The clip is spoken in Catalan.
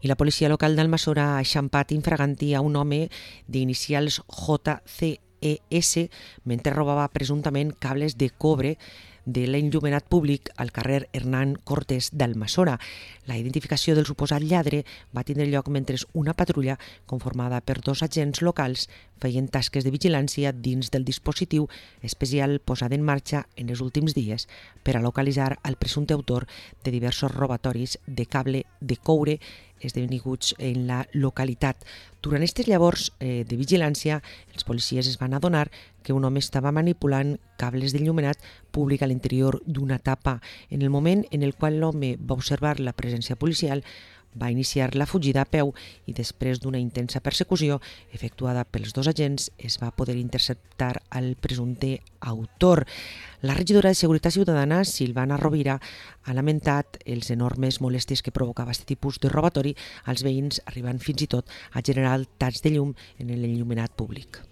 I la policia local d'Almassora ha eixampat infraganti a un home d'inicials JCES mentre robava presumptament cables de cobre de l'enllumenat públic al carrer Hernán Cortés d'Almassora. La identificació del suposat lladre va tindre lloc mentre una patrulla conformada per 2 agents locals feien tasques de vigilància dins del dispositiu especial posat en marxa en els últims dies per a localitzar el presumpte autor de diversos robatoris de cable de coure esdevinguts en la localitat. Durant aquestes llavors de vigilància, els policies es van adonar que un home estava manipulant cables d'enllumenat públic a l'interior d'una tapa. En el moment en el qual l'home va observar la presència policial, va iniciar la fugida a peu i després d'una intensa persecució efectuada pels 2 agents es va poder interceptar el presumpte autor. La regidora de Seguretat Ciutadana, Silvana Rovira, ha lamentat els enormes molèsties que provocava aquest tipus de robatori als veïns, arribant fins i tot a generar talls de llum en l'enllumenat públic.